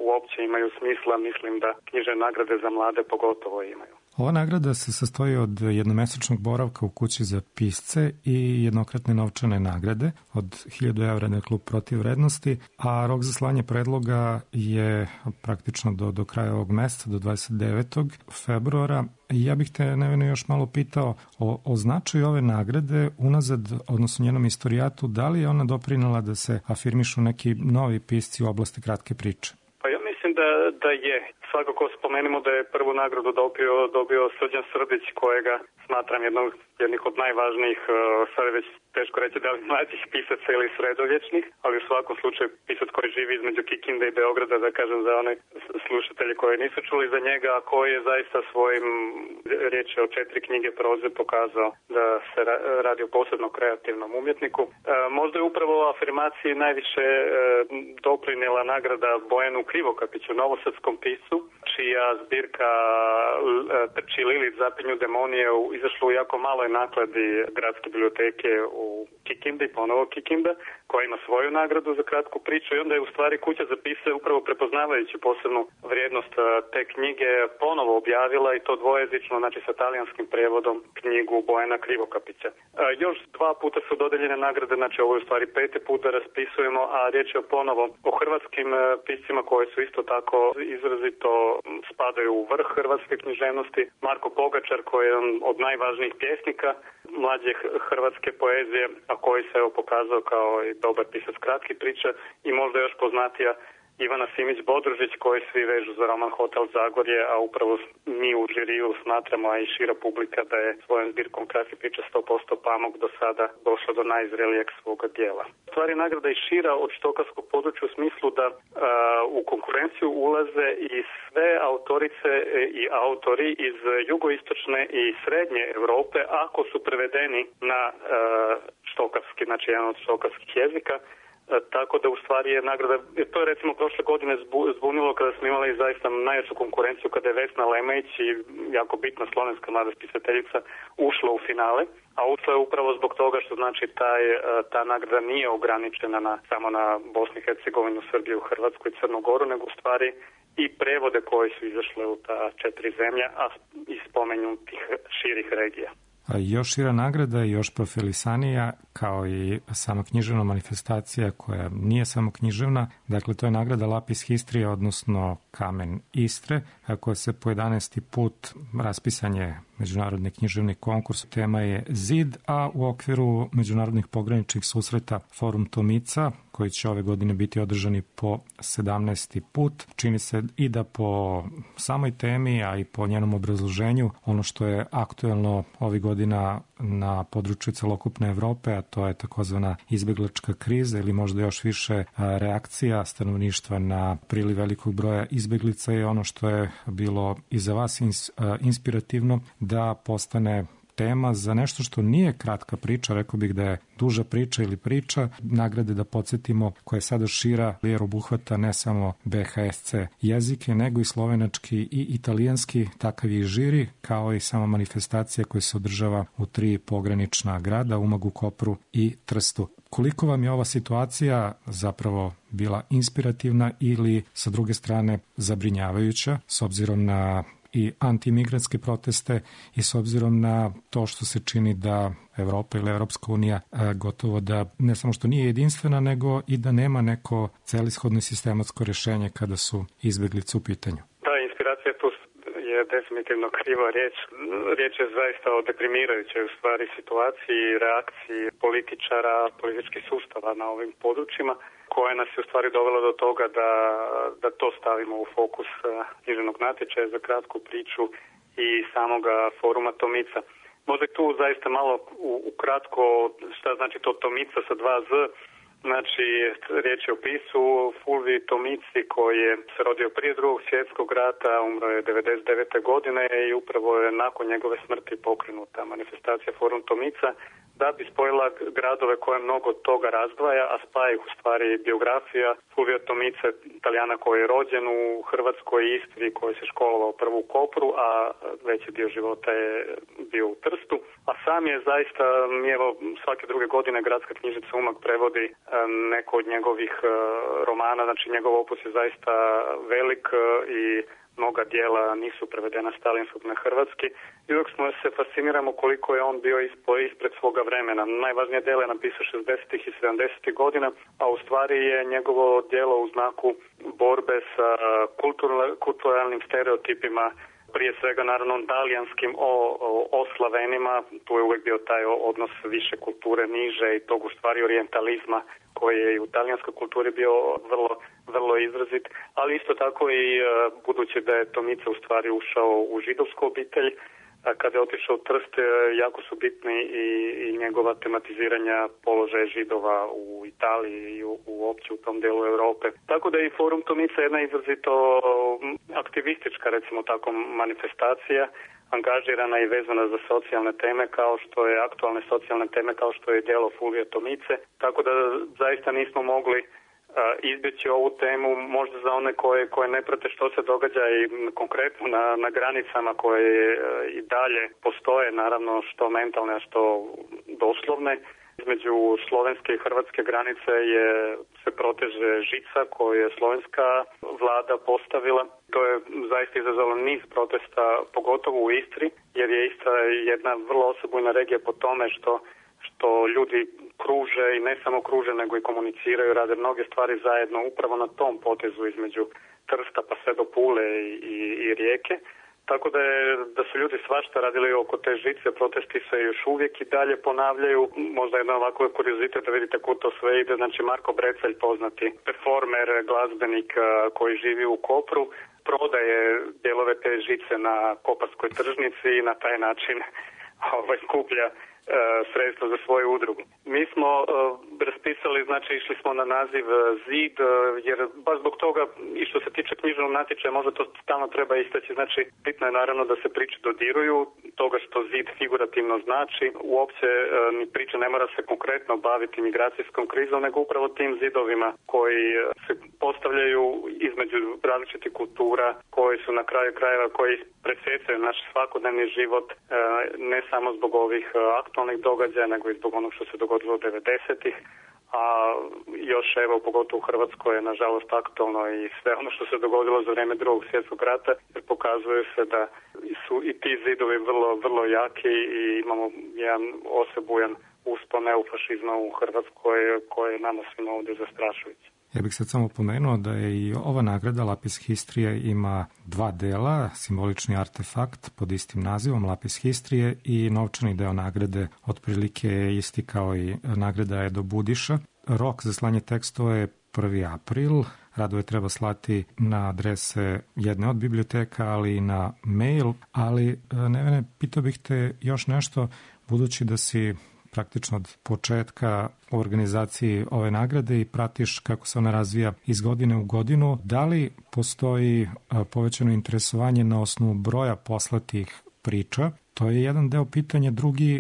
uopće imaju smisla, mislim da književne nagrade za mlade pogotovo imaju. Ova nagrada se sastoji od jednomesečnog boravka u kući za pisce i jednokratne novčane nagrade od hiljadu evra, dakle klub protiv vrednosti, a rok za slanje predloga je praktično do, do kraja ovog meseca, do dvadeset devetog februara. Ja bih te, Neveno, još malo pitao o, o značaju ove nagrade unazad, odnosno njenom istorijatu, da li je ona doprinela da se afirmišu neki novi pisci u oblasti kratke priče? Pa ja mislim da, da je. Svakako spomenimo da je prvu nagradu dobio, dobio Srđan Srdić, kojega smatram jednog, jednih od najvažnijih, sad je već teško reći da li mlađih pisaca ili sredovječnih, ali u svakom slučaju pisac koji živi između Kikinde i Beograda, da kažem za one slušatelji koji nisu čuli za njega, a koji je zaista svojim, riječ je o četiri knjige proze, pokazao da se radi o posebno kreativnom umjetniku. E, možda je upravo afirmaciji najviše e, doprinijela nagrada Bojanu Krivokapiću kaže novosadskom piscu, čija zbirka Trči Lilić zapinju demonije izašla u jako maloj nakladi gradske biblioteke u Kikindi, ponovo Kikinda, koja ima svoju nagradu za kratku priču i onda je u stvari kuća za pisce upravo prepoznavajući posebnu vrijednost te knjige ponovo objavila i to dvojezično, znači sa talijanskim prevodom, knjigu Bojana Krivokapića. Još dva puta su dodeljene nagrade, znači ovo je u stvari peti put da raspisujemo, a riječ je ponovo o hrvatskim piscima koji su isto tako izrazito spadaju u vrh hrvatske književnosti. Marko Pogačar koji je od najvažnijih pjesnika mlađe hrvatske poezije, a koji se evo pokazao kao i dobar pisac kratkih priča i možda još poznatija Ivana Simić-Bodružić koji svi vežu za roman Hotel Zagorje, a upravo mi u žiriju smatramo, a i šira publika, da je svojom zbirkom kratkih priča sto posto Pamuk do sada došla do najzrelijeg svoga dijela. Stvari nagrada i šira od štokavskog područja u smislu da a, u konkurenciju ulaze i sve autorice i autori iz jugoistočne i srednje Europe ako su prevedeni na a, štokavski, znači jedan od štokavskih jezika. Tako da u stvari je nagrada, to je recimo prošle godine zbunilo kada smo imali zaista najjaču konkurenciju kada je Vesna Lemejić i jako bitna slovenska mlada spisateljica ušla u finale, a ušla je upravo zbog toga što znači taj, ta nagrada nije ograničena na, samo na Bosnu i Hercegovinu, Srbiju, Hrvatsku i Crnu Goru, nego u stvari i prevode koji su izašle u ta četiri zemlja, a i spomenutih širih regija. Još šira nagrada i još profilisanija, kao i sama književna manifestacija koja nije samo književna. Dakle, to je nagrada Lapis Histrija, odnosno Kamen Istre, koja se po jedanaesti put raspisan je međunarodni književni konkurs. Tema je Zid, a u okviru međunarodnih pograničnih susreta Forum Tomica, koji će ove godine biti održani po sedamnaesti put. Čini se i da po samoj temi, a i po njenom obrazloženju, ono što je aktuelno ovih godina na području celokupne Evrope, a to je takozvana izbeglačka kriza ili možda još više reakcija stanovništva na priliv velikog broja izbeglica, je ono što je bilo i za vas inspirativno da postane tema za nešto što nije kratka priča, rekao bih da je duža priča ili priča, nagrade da podsjetimo koja je sada šira jer obuhvata ne samo be ha es ce jezike, nego i slovenački i italijanski, takav je i žiri, kao i sama manifestacija koja se održava u tri pogranična grada, Umagu, Kopru i Trstu. Koliko vam je ova situacija zapravo bila inspirativna ili sa druge strane zabrinjavajuća s obzirom na i antimigrantske proteste i s obzirom na to što se čini da Evropa ili Evropska unija gotovo da ne samo što nije jedinstvena, nego i da nema neko celishodno sistematsko rješenje kada su izbeglice u pitanju? Da, inspiracija tu je definitivno kriva riječ. Riječ je zaista o deprimirajućoj u stvari situaciji, reakciji političara, političkih sustava na ovim područjima, koja nas je u stvari dovela do toga da, da to stavimo u fokus književnog natječaja za kratku priču i samoga foruma Tomica. Možda tu zaista malo ukratko šta znači to Tomica sa dva Z. Znači, riječ je o pisu Fulviji Tomici koji je se rodio prije drugog svjetskog rata, umro je devedeset devete godine i upravo je nakon njegove smrti pokrenuta manifestacija Forum Tomica da bi spojila gradove koje mnogo toga razdvaja, a spaja ih u stvari biografija Fulvija Tomice, Italijana koji je rođen u Hrvatskoj i Istri, koji se školovao prvo u Kopru, a veći dio života je bio u Trstu. A sam je zaista, evo, svake druge godine Gradska knjižnica Umag prevodi neko od njegovih romana, znači njegov opus je zaista velik i mnoga dijela nisu prevedena s talijanskog na hrvatski. I dok smo se fasciniramo koliko je on bio ispred svoga vremena. Najvažnije djelo je napisao šezdesetih i sedamdesetih godina, a u stvari je njegovo djelo u znaku borbe sa kulturalnim stereotipima, prije svega naravno talijanskim o, o, o Slavenima. Tu je uvijek bio taj odnos više kulture niže i tog u stvari orijentalizma koji je i u talijanskoj kulturi bio vrlo, vrlo izrazit, ali isto tako i budući da je Tomica u stvari ušao u židovsku obitelj, a kada je otišao u Trst, jako su bitni i, i njegova tematiziranja položaja židova u Italiji i u, uopće u tom delu Europe. Tako da je i Forum Tomica jedna izrazito aktivistička, recimo tako, manifestacija, angažirana i vezana za socijalne teme kao što je aktualne socijalne teme kao što je djelo Fulvija Tomice. Tako da zaista nismo mogli izbjeći ovu temu, možda za one koje, koje ne prate što se događa i konkretno na, na granicama koje i dalje postoje, naravno što mentalne, a što doslovne. Između slovenske i hrvatske granice je, se proteže žica koju je slovenska vlada postavila. To je zaista izazvalo niz protesta, pogotovo u Istri, jer je Istra jedna vrlo osebujna regija po tome što što ljudi kruže i ne samo kruže, nego i komuniciraju, rade mnoge stvari zajedno upravo na tom potezu između Trsta pa sve do Pule i, i, i Rijeke. Tako da, je, da su ljudi svašta radili oko te žice, protesti se još uvijek i dalje ponavljaju. Možda jedan ovako kuriozitet da vidite kako to sve ide. Znači Marko Brecelj, poznati performer, glazbenik koji živi u Kopru, prodaje dijelove te žice na koparskoj tržnici i na taj način ovaj, skuplja sredstva za svoju udrugu. Mi smo uh, raspisali, znači išli smo na naziv Zid, uh, jer baš zbog toga i što se tiče književnog natječaja, možda to stalno treba istaći, znači bitno je naravno da se priče dodiruju, toga što Zid figurativno znači, uopće uh, ni priča ne mora se konkretno baviti migracijskom krizom, nego upravo tim zidovima koji se postavljaju između različitih kultura, koji su na kraju krajeva, koji presjecaju naš svakodnevni život, uh, ne samo zbog ovih uh, aktualnih događaja, nego i zbog onog što se dogodilo u devedesetih, a još evo pogotovo u Hrvatskoj je nažalost aktualno i sve ono što se dogodilo za vrijeme Drugog svjetskog rata, jer pokazuje se da su i ti zidovi vrlo, vrlo jaki i imamo jedan osebujan uspon neofašizma u Hrvatskoj koji je nama svima ovdje zastrašujući. Ja bih sad samo pomenuo da je i ova nagrada Lapis Histrije ima dva dela, simbolični artefakt pod istim nazivom Lapis Histrije i novčani deo nagrade otprilike je isti kao i nagrada Edo Budiša. Rok za slanje tekstova je prvi april, radove treba slati na adrese jedne od biblioteka, ali i na mail. Ali, Nevene, pitao bih te još nešto, budući da si praktično od početka u organizaciji ove nagrade i pratiš kako se ona razvija iz godine u godinu. Da li postoji povećano interesovanje na osnovu broja poslatih priča? To je jedan deo pitanja. Drugi,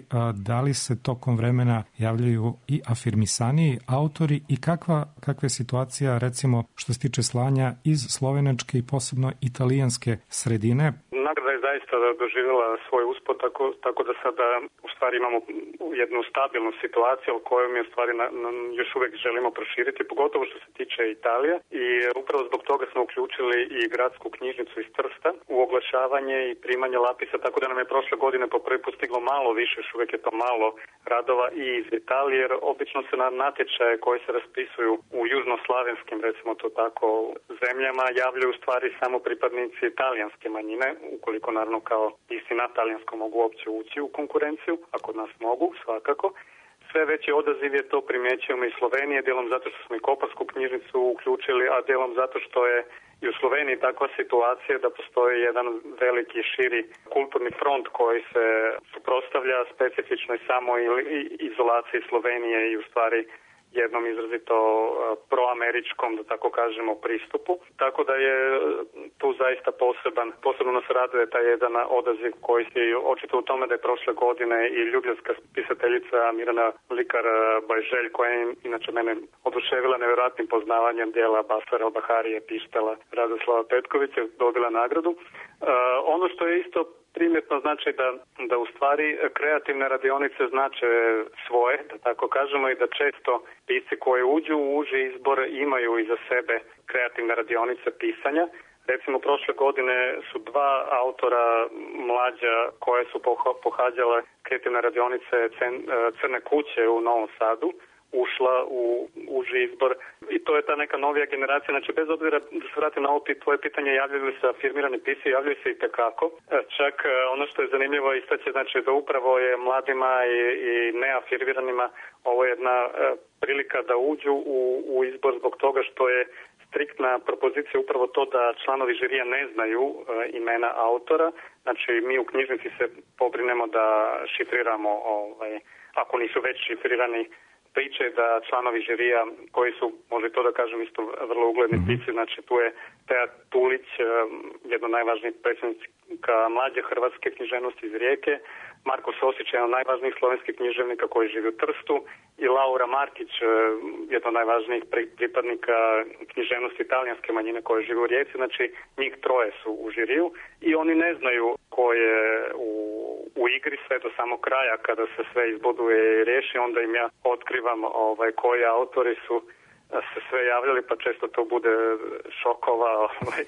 da li se tokom vremena javljaju i afirmisaniji autori i kakva, kakva je situacija, recimo, što se tiče slanja iz slovenačke i posebno italijanske sredine? Nagrada je zaista doživjela svoj uspod, tako, tako da sada u stvari imamo jednu stabilnu situaciju koju mi u stvari na, na, još uvijek želimo proširiti, pogotovo što se tiče Italije, i upravo zbog toga smo uključili i gradsku knjižnicu iz Trsta u oglašavanje i primanje lapisa, tako da nam je prošle godine po prvi put stiglo malo više, još uvijek je to malo radova i iz Italije, jer obično se na natječaje koji se raspisuju u južnoslavenskim, recimo to tako, zemljama javljaju u stvari samo pripadnici italijanske manjine, ukoliko naravno kao isti na talijanskom mogu uopće ući u konkurenciju, a kod nas mogu, svakako. Sve veći odaziv je to, primjećujemo i Slovenije, dijelom zato što smo i koparsku knjižnicu uključili, a dijelom zato što je i u Sloveniji takva situacija da postoji jedan veliki širi kulturni front koji se suprotstavlja specifičnoj samo izolaciji Slovenije i u stvari jednom izrazito proameričkom, da tako kažemo, pristupu. Tako da je tu zaista poseban, posebno nas raduje taj jedan odaziv koji je očito u tome da je prošle godine i ljubljevska pisateljica Mirana Likar-Bajželj, koja je inače mene oduševila nevjerojatnim poznavanjem dijela Basara, Baharije, Pištela, Radoslava Petkovića, dobila nagradu. Uh, ono što je isto primjetno znači da, da u stvari kreativne radionice znače svoje, da tako kažemo, i da često pisci koji uđu u uži izbor imaju iza sebe kreativne radionice pisanja. Recimo, prošle godine su dva autora mlađa koje su pohađale kreativne radionice Crne kuće u Novom Sadu ušla u uži izbor i to je ta neka novija generacija. Znači, bez obzira da se vratim na ovo tvoje pitanje, javljaju li se afirmirani pisci, javljaju se i tekako. Čak ono što je zanimljivo istaći, znači da upravo je mladima i, i neafirmiranima ovo je jedna prilika da uđu u, u izbor zbog toga što je striktna propozicija upravo to da članovi žirija ne znaju e, imena autora. Znači, mi u knjižnici se pobrinemo da šifriramo, ovaj, ako nisu već šifrirani, Priča je da članovi žirija, koji su, može to da kažem, isto vrlo ugledni mm-hmm. pisci, znači tu je Teja Tulić, jedna od najvažnijih predsjednika mlađe hrvatske književnosti iz Rijeke, Marko Sosić, jedan od najvažnijih slovenskih književnika koji živi u Trstu, i Laura Markić, jedna od najvažnijih pripadnika književnosti italijanske manjine koje živi u Rijeci. Znači, njih troje su u žiriju i oni ne znaju ko je u, u igri sve do samog kraja, kada se sve izboduje i riješi, onda im ja otkrivam ovaj, koji autori su se sve javljali, pa često to bude šokova ovaj,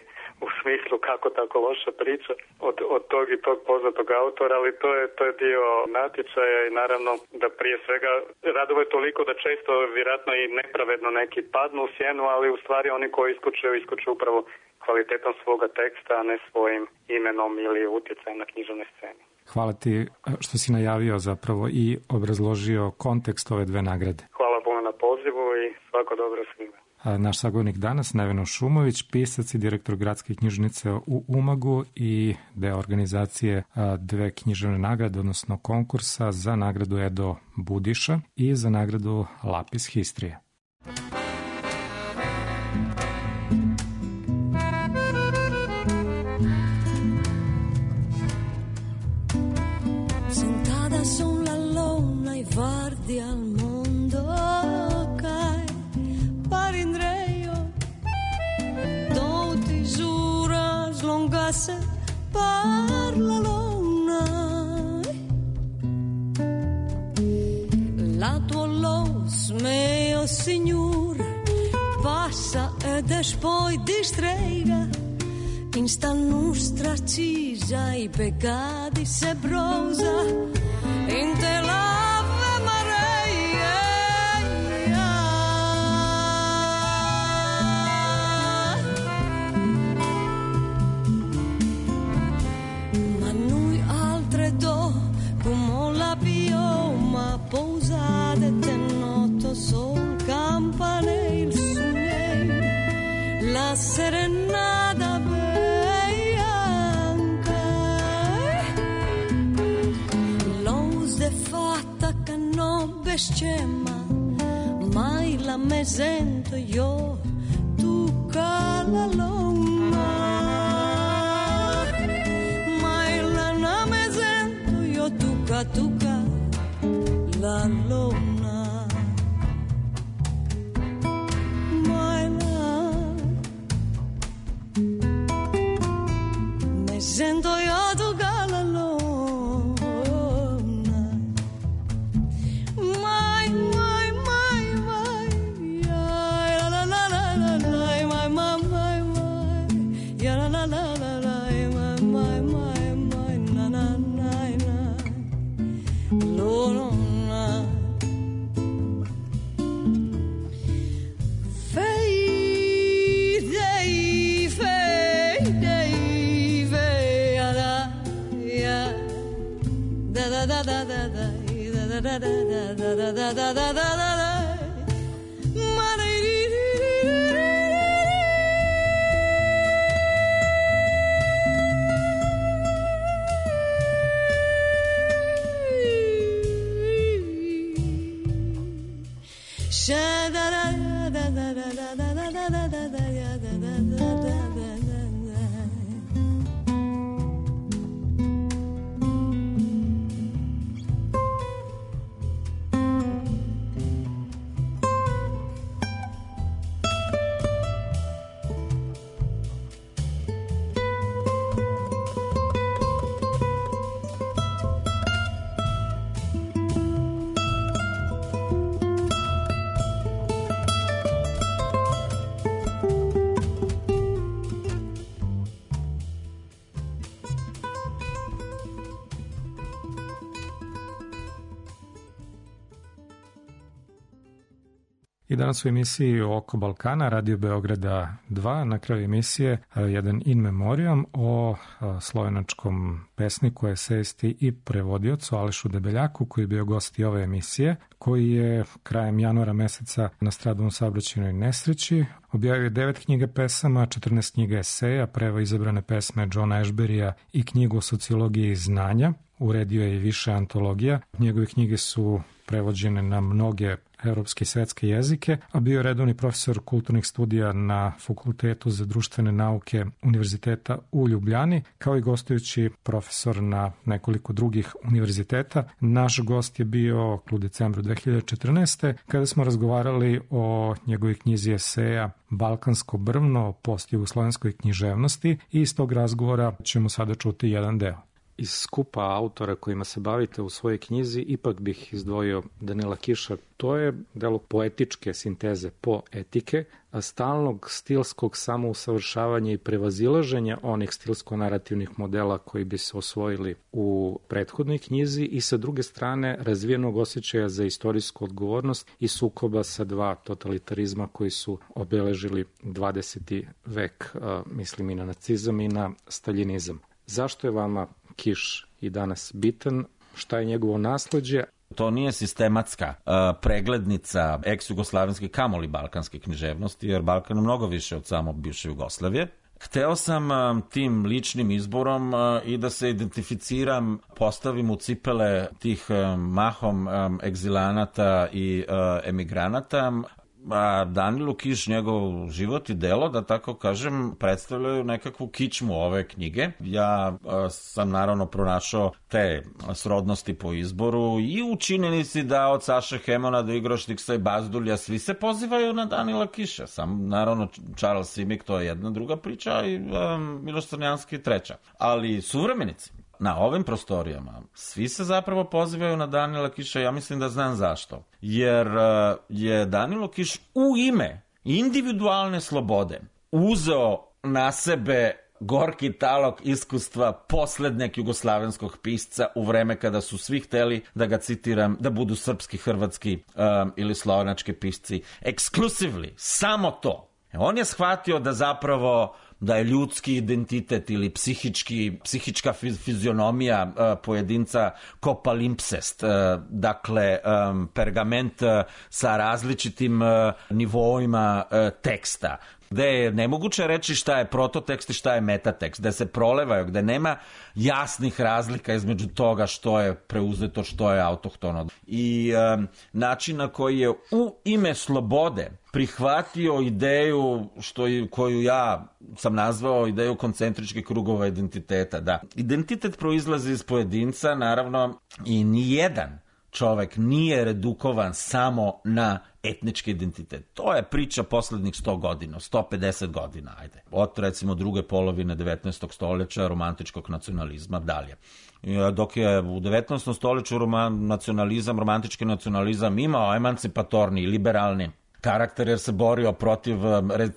u smislu kako tako loša priča od, od tog i tog poznatog autora, ali to je, to je dio natječaja i naravno da prije svega radova je toliko da često vjerojatno i nepravedno neki padnu u sjenu, ali u stvari oni koji iskučuju, iskučuju upravo kvalitetom svoga teksta, a ne svojim imenom ili utjecajem na književnoj sceni. Hvala ti što si najavio zapravo i obrazložio kontekst ove dve nagrade. Hvala puno na pozivu i svako dobro svima. Naš sagovornik danas, Neveno Šumović, pisac i direktor gradske knjižnice u Umagu i deo organizacije dve književne nagrade, odnosno konkursa za nagradu Edo Budiša i za nagradu Lapis Histrije. Sentada sulla luna e guardi al mondo cae parindreio tutti giura slungasse per la luna la tua los mio signor passa e poi distrega in sta nostra cisa i peccati se brosa in te l'Ave Maria ma noi altre do come la pioma posate te noto sol campanile suonei la serenata scema mai la me sento io tu cala luna mai la na me sento io tu ca tu ca la luna mai la me sento io tu ca la luna da da da da da da da da da I danas u emisiji Oko Balkana, Radio Beograda dva, na kraju emisije jedan in memoriam o slovenačkom pesniku, esejisti i prevodiocu Alešu Debeljaku, koji je bio gost i ove emisije, koji je krajem januara meseca nastradao u saobraćajnoj nesreći. Objavio je devet knjiga pesama, četrnaest knjiga eseja, preva izabrane pesme Johna Ashberija i knjigu o sociologiji znanja. uredio je i više antologija. Njegove knjige su prevođene na mnoge evropske i svetske jezike, a bio je redovni profesor kulturnih studija na Fakultetu za društvene nauke Univerziteta u Ljubljani, kao i gostujući profesor na nekoliko drugih univerziteta. Naš gost je bio u decembru dve hiljade četrnaeste. kada smo razgovarali o njegovoj knjizi eseja Balkansko brvno, postjugoslovenskoj književnosti, i iz tog razgovora ćemo sada čuti jedan deo. Iz skupa autora kojima se bavite u svojoj knjizi, ipak bih izdvojio Danila Kiša. To je delo poetičke sinteze poetike, a stalnog stilskog samousavršavanja i prevazilaženja onih stilsko-narativnih modela koji bi se osvojili u prethodnoj knjizi, i sa druge strane razvijenog osjećaja za istorijsku odgovornost i sukoba sa dva totalitarizma koji su obeležili dvadeseti vek, mislim i na nacizam i na staljinizam. Zašto je vama Kiš i danas bitan? Šta je njegovo nasleđe? To nije sistematska uh, preglednica ex-jugoslavenske kamoli balkanske književnosti, jer Balkan je mnogo više od samo bivše Jugoslavije. Hteo sam um, tim ličnim izborom uh, i da se identificiram, postavim u cipele tih um, mahom um, egzilanata i uh, emigranata. A Danilo Kiš, njegov život i delo, da tako kažem, predstavljaju nekakvu kičmu ove knjige. Ja a, sam naravno pronašao te srodnosti po izboru i u činjenici da od Saše Hemona do Igroštiksa i Bazdulja svi se pozivaju na Danila Kiša. Sam, naravno, Charles Simic, to je jedna druga priča, i um, Miloš Crnjanski treća. Ali suvremenici na ovim prostorijama svi se zapravo pozivaju na Danila Kiša. Ja mislim da znam zašto. Jer uh, je Danilo Kiš u ime individualne slobode uzeo na sebe gorki talog iskustva poslednjeg jugoslavenskog pisca u vreme kada su svi hteli, da ga citiram, da budu srpski, hrvatski um, ili slovenački pisci. Exclusively, samo to. On je shvatio da zapravo da je ljudski identitet ili psihički, psihička fizionomija uh, pojedinca ko palimpsest, uh, dakle um, pergament uh, sa različitim uh, nivoima uh, teksta, gde je nemoguće reći šta je prototekst i šta je metatekst, gde se prolevaju, gde nema jasnih razlika između toga što je preuzeto, što je autohtono. I um, način na koji je u ime slobode prihvatio ideju što je, koju ja sam nazvao ideju koncentričkih krugova identiteta. Da, identitet proizlazi iz pojedinca, naravno, i nijedan čovek nije redukovan samo na etnički identitet. To je priča poslednjih sto godina, sto pedeset godina, ajde. Od, recimo, druge polovine devetnaestog stoljeća, romantičkog nacionalizma, dalje. Dok je u devetnaestom stoljeću roman, nacionalizam, romantički nacionalizam imao emancipatorni, liberalni karakter, jer se borio protiv re,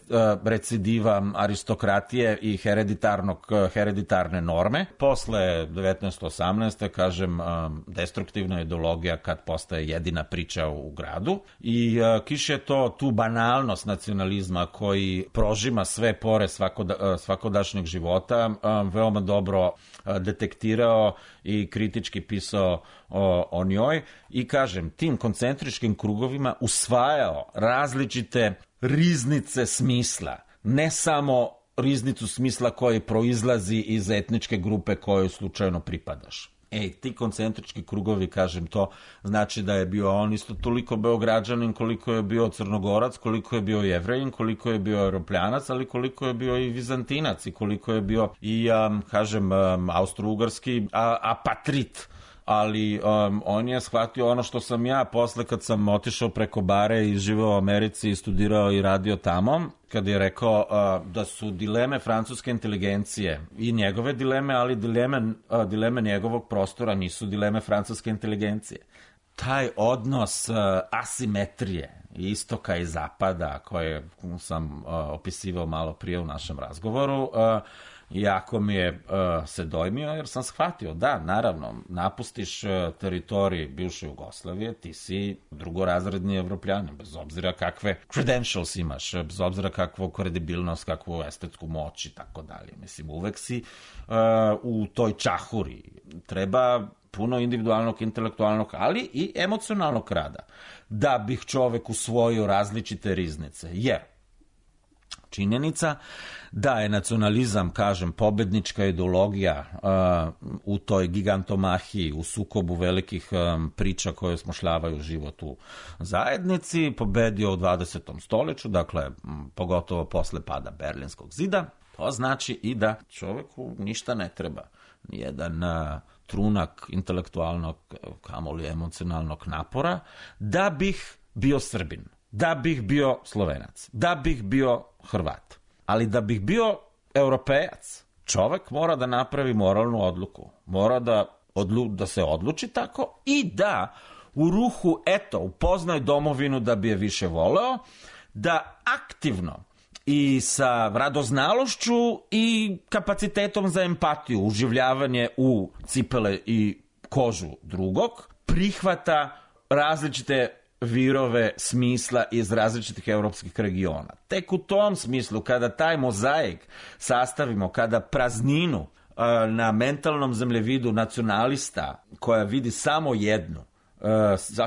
recidiva aristokratije i hereditarnog, hereditarne norme. Posle devetnaesto osamnaeste. kažem, destruktivna ideologija kad postaje jedina priča u gradu. I Kiš je to, tu banalnost nacionalizma koji prožima sve pore svakoda, svakodašnjeg života veoma dobro detektirao i kritički pisao o, o njoj. I kažem, tim koncentričkim krugovima usvajao različite riznice smisla, ne samo riznicu smisla koji proizlazi iz etničke grupe kojoj slučajno pripadaš. Ej, ti koncentrički krugovi, kažem, to znači da je bio on isto toliko Beograđanin koliko je bio Crnogorac, koliko je bio Jevrejin, koliko je bio Europljanac, ali koliko je bio i Vizantinac i koliko je bio i, um, kažem, um, austrougarski a, apatrit. Ali um, on je shvatio ono što sam ja posle kad sam otišao preko bare i živeo u Americi i studirao i radio tamo, kad je rekao uh, da su dileme francuske inteligencije i njegove dileme, ali dileme, uh, dileme njegovog prostora nisu dileme francuske inteligencije. Taj odnos uh, asimetrije istoka i zapada, koje sam uh, opisivao malo prije u našem razgovoru, uh, jako mi je uh, se dojmio, jer sam shvatio, da, naravno, napustiš uh, teritorij bivše Jugoslavije, ti si drugorazredni Evropljani, bez obzira kakve credentials imaš, bez obzira kakvu kredibilnost, kakvu estetsku moć i tako dalje. Mislim, uvek si uh, u toj čahuri. Treba puno individualnog, intelektualnog, ali i emocionalnog rada, da bih čovek usvojio različite riznice. Jer činjenica da je nacionalizam, kažem, pobednička ideologija uh, u toj gigantomahiji, u sukobu velikih um, priča koje osmošljavaju život u zajednici, pobedio u dvadesetom stoljeću, dakle, m, pogotovo posle pada Berlinskog zida. To znači i da čoveku ništa ne treba. Nijedan uh, trunak intelektualnog, kamoli emocionalnog napora, da bih bio Srbin, da bih bio Slovenac, da bih bio Hrvat. Ali da bih bio Europejac, čovek mora da napravi moralnu odluku. Mora da, odlu, da se odluči tako i da u ruhu, eto, upoznaj domovinu da bi je više voleo, da aktivno i sa radoznalošću i kapacitetom za empatiju, uživljavanje u cipele i kožu drugog, prihvata različite virove smisla iz različitih evropskih regiona. Tek u tom smislu, kada taj mozaik sastavimo, kada prazninu uh, na mentalnom zemljevidu nacionalista, koja vidi samo jednu, uh,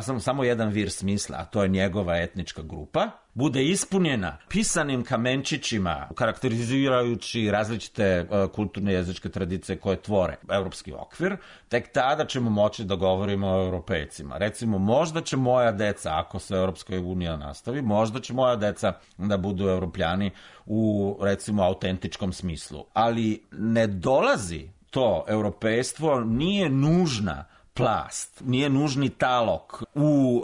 samo, samo jedan vir smisla, a to je njegova etnička grupa, bude ispunjena pisanim kamenčićima, karakterizirajući različite uh, kulturne jezičke tradicije koje tvore evropski okvir, tek tada ćemo moći da govorimo o europejcima. Recimo, možda će moja deca, ako se Evropska unija nastavi, možda će moja deca da budu evropljani u, recimo, autentičkom smislu. Ali ne dolazi to europejstvo, nije nužna plast, nije nužni talog u uh,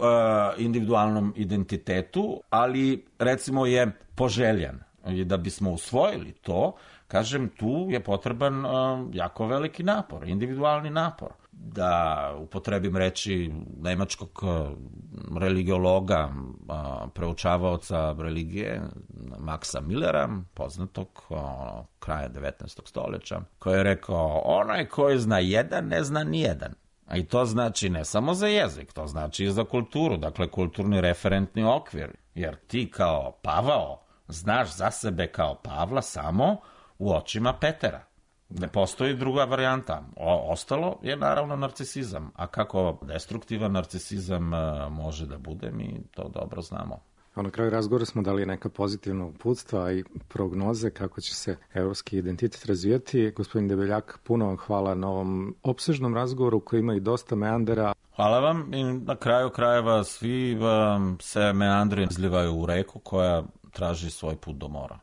individualnom identitetu, ali recimo je poželjan. I da bismo usvojili to, kažem, tu je potreban uh, jako veliki napor, individualni napor. Da upotrebim reči nemačkog uh, religiologa, uh, preučavaoca religije, Maxa Millera, poznatog uh, kraja devetnaestog stoljeća, koji je rekao, onaj koji zna jedan, ne zna nijedan. A i to znači ne samo za jezik, to znači i za kulturu, dakle kulturni referentni okvir. Jer ti kao Pavao znaš za sebe kao Pavla samo u očima Petera. Ne postoji druga varijanta. O, ostalo je naravno narcisizam. A kako destruktivan narcisizam uh, može da bude, mi to dobro znamo. A na kraju razgovora smo dali neka pozitivna uputstva i prognoze kako će se evropski identitet razvijati. Gospodin Debeljak, puno vam hvala na ovom opsežnom razgovoru koji ima i dosta meandera. Hvala vam i na kraju krajeva svi um, se meandri izlivaju u reku koja traži svoj put do mora.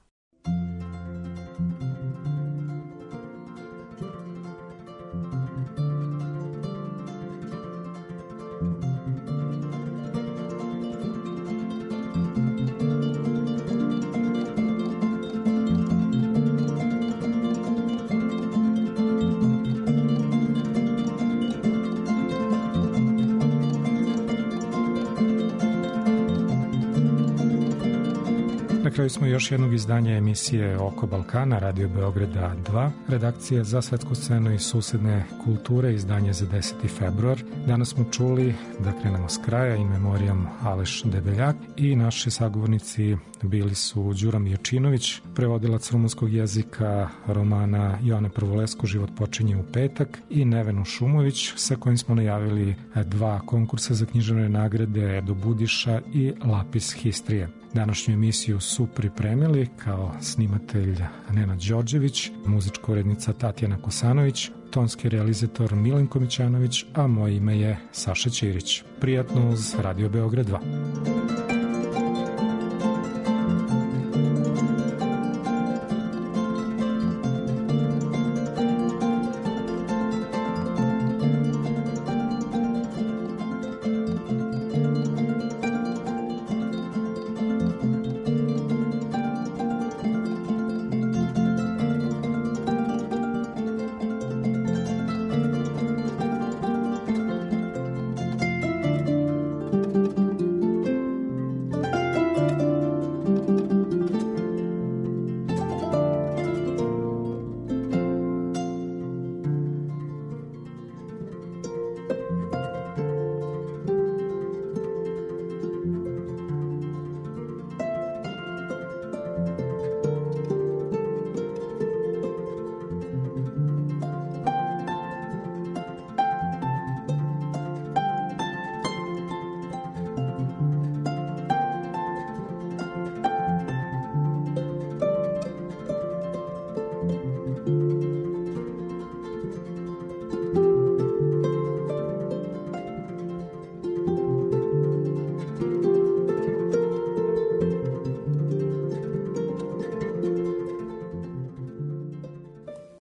Na kraju smo još jednog izdanja emisije Oko Balkana, Radio Beograda dva, redakcije za svetsku scenu i susedne kulture, izdanje za deseti februar. Danas smo čuli, da krenemo s kraja, in memoriam Aleš Debeljak, i naši sagovornici bili su Đura Miječinović, prevodilac rumunskog jezika romana Joane Prvolesko Život počinje u petak, i Nevenu Šumović, sa kojim smo najavili dva konkursa za književne nagrade Edo Budiša i Lapis Histrije. Današnju emisiju su pripremili kao snimatelj Nenad Đorđević, muzička urednica Tatjana Kosanović, tonski realizator Milenko Mićanović, a moje ime je Saša Ćirić. Prijatno uz Radio Beograd dva.